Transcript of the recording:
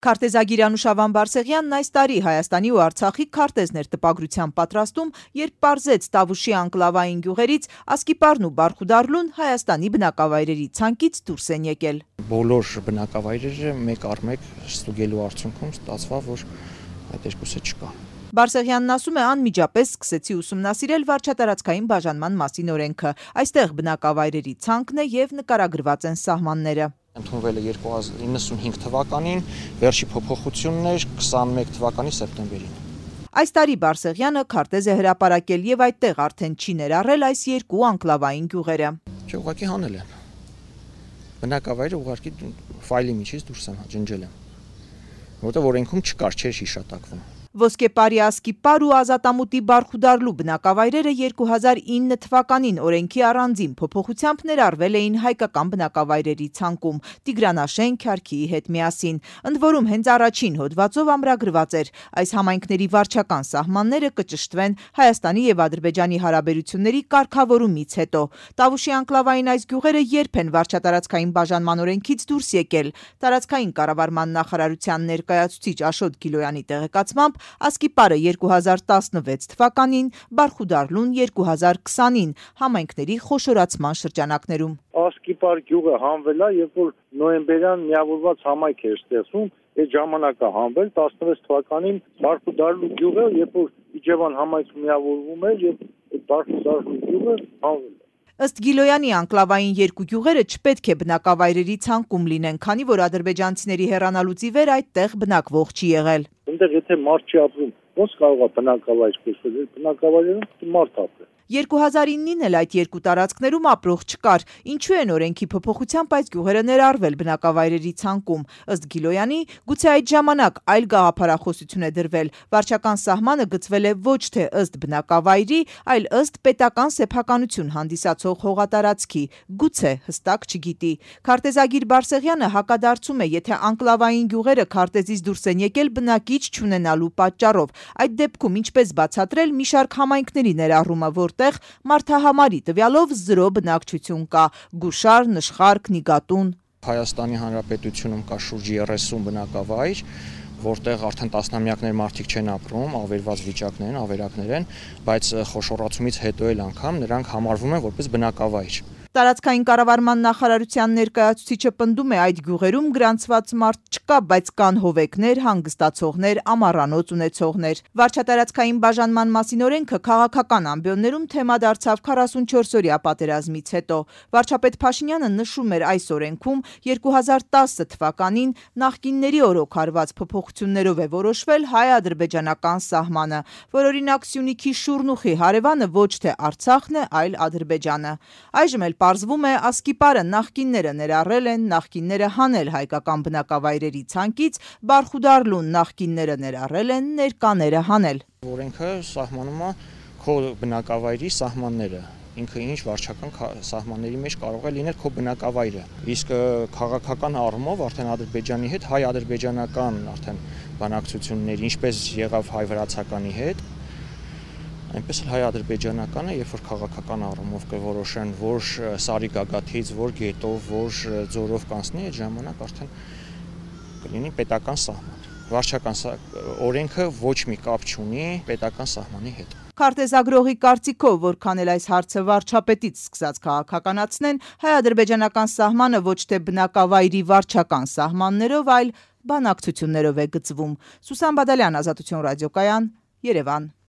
Քարտեզագիր Անուշավան Բարսեղյանն այս տարի Հայաստանի ու Արցախի քարտեզներ տպագրության պատրաստում, երբ պարզեց Տավուշի անկլավային գյուղերից Ասկիպարն ու Բարխուդառլուն Հայաստանի բնակավայրերի ցանկից դուրս են եկել։ Բոլոր բնակավայրերը մեկ առ մեկ ստուգելու արդյունքում ստացվավ, որ այդ երկուսը չկա։ Բարսեղյանն ասում է, անմիջապես սկսեցի ուսումնասիրել վարչատարածքային բաժանման մասին օրենքը։ Այստեղ բնակավայրերի ցանկն է եւ նկարագրված են սահմանները։ Ընդունվել է 1995 թվականին, վերջի փոփոխությունն էր 21 թվականի սեպտեմբերին։ Այս տարի Բարսեղյանը քարտեզ է հրապարակել եւ այդտեղ արդեն չի ներառել այս երկու անկլավային գյուղերը։ Չէ, ուղղակի հանել են։ Բնակավայրը ուղղակի ֆայլի միջից դուրս եմ ջնջել եմ, որտեղ օրենքում չկար, չէր հիշատակվում։ Ոսկեպարի Ասկիպար ու Ազատամուտի Բարխուդառլու բնակավայրերը 2009 թվականին օրենքի առանձին փոփոխությամբ ներառվել էին հայկական բնակավայրերի ցանկում Տիգրանաշեն Քյարքիի հետ միասին։ Ընդ որում հենց առաջին հոդվածով ամրագրված էր, այս համայնքների վարչական սահմանները կճշտվեն Հայաստանի եւ Ադրբեջանի հարաբերությունների կարգավորումից հետո։ Տավուշի անկլավային այս գյուղերը երբ են վարչատարածքային բաժանման օրենքից դուրս եկել։ Տարածքային կառավարման նախարարության ներկայացուցիչ Աշոտ Գիլոյանի տեղեկացմամբ Ասկիպարը 2016 թվականին, Բարխուդառլուն 2020-ին համայնքների խոշորացման շրջանակներում։ Ասկիպար գյուղը հանվել է, երբ որ նոյեմբերյան միավորված համայնք էր ստեղծում, այդ ժամանակը հանվել 16 թվականին Բարխուդառլու գյուղը, երբ որ Իջևան համայնք միավորվում էր, եւ այդ Բարխուդառլու գյուղը հանվել է։ Ըստ Գիլոյանի անկլավային երկու գյուղերը չպետք է բնակավայրերի ցանկում լինեն, քանի որ ադրբեջանցիների հեռանալուց ի վեր այդտեղ բնակվող չի եղել։ Այնտեղ եթե մարդ չի ապրում, ո՞նց կարող է բնակավայր կոչվել։ Բնակավայրերում մարդ ապրի։ 2009-ին էլ այդ երկու տարածքներում ապրող չկար, ինչու են օրենքի փոփոխությամբ այս գյուղերը ներառվել բնակավայրերի ցանկում։ Ըստ Գիլոյանի, գուցե այդ ժամանակ այլ գաղափարախոսություն է դրվել, վարչական սահմանը գծվել է ոչ թե ըստ բնակավայրի, այլ ըստ պետական սեփականություն հանդիսացող հողատարածքի, գուցե հստակ չգիտի։ Քարտեզագիր Բարսեղյանը հակադարձում է, եթե անկլավային գյուղերը քարտեզից դուրս են եկել բնակիչ չունենալու պատճառով, այդ դեպքում ինչպես բացատրել մի շարք համայնքների ներառումը, որտեղ մարդահամարի տվյալով 0 բնակչություն կա՝ Գուշար, Նշխարք, Նիգատուն։ Հայաստանի Հանրապետությունում կա շուրջ 30 բնակավայր, որտեղ արդեն տասնամյակներ մարդիկ չեն ապրում, ավերված վիճակներ են, ավերակներ են, բայց խոշորացումից հետո էլ անգամ նրանք համարվում են որպես բնակավայր։ Տարածքային կառավարման նախարարության ներկայացուցիչը պնդում է, այդ գյուղերում գրանցված մարդ չկա, բայց կան հովեկներ, հանգստացողներ, ամառանոց ունեցողներ։ Վարչատարածքային բաժանման մասին օրենքը քաղաքական ամբիոններում թեմա դարձավ 44-օրյա պատերազմից հետո։ Վարչապետ Փաշինյանը նշում էր այս օրենքում 2010 թվականին նախկինների օրոք արված փոփոխություններով է որոշվել հայ-ադրբեջանական սահմանը, որ օրինակ Սյունիքի Շուրնուխի հարևանը ոչ թե Արցախն է, այլ Ադրբեջանը։ Այժմ էլ պարզվում է, Ասկիպարը նախկինները ներառել են, նախկինները հանել հայկական բնակավայրերի ցանկից, Բարխուդառլուն նախկինները ներառել են, ներկաները հանել։ Օրենքը սահմանում է քո բնակավայրի սահմանները, ինքը ինչ վարչական սահմանների մեջ կարող է լինել քո բնակավայրը։ Իսկ քաղաքական առումով արդեն Ադրբեջանի հետ հայ-ադրբեջանական արդեն բանակցությունների, ինչպես եղավ հայ-վրացականի հետ, այնպես էլ հայ-ադրբեջանականը, երբ որ քաղաքական առումով կորոշեն, որ Սարի գագաթից, որ գետով, որ ձորով կանցնի, այդ ժամանակ արդեն կլինի պետական սահման։ Վարչական օրենքը ոչ մի կապ չունի պետական սահմանի հետ։ Քարտեզագրողի կարծիքով, որքան էլ այս հարցը վարչապետից սկսած քաղաքականացնեն, հայ-ադրբեջանական սահմանը ոչ թե բնակավայրի վարչական սահմաններով, այլ բանակցություններով է գծվում։ Սուսան Բադալյան, Ազատություն ռադիոկայան, Երևան։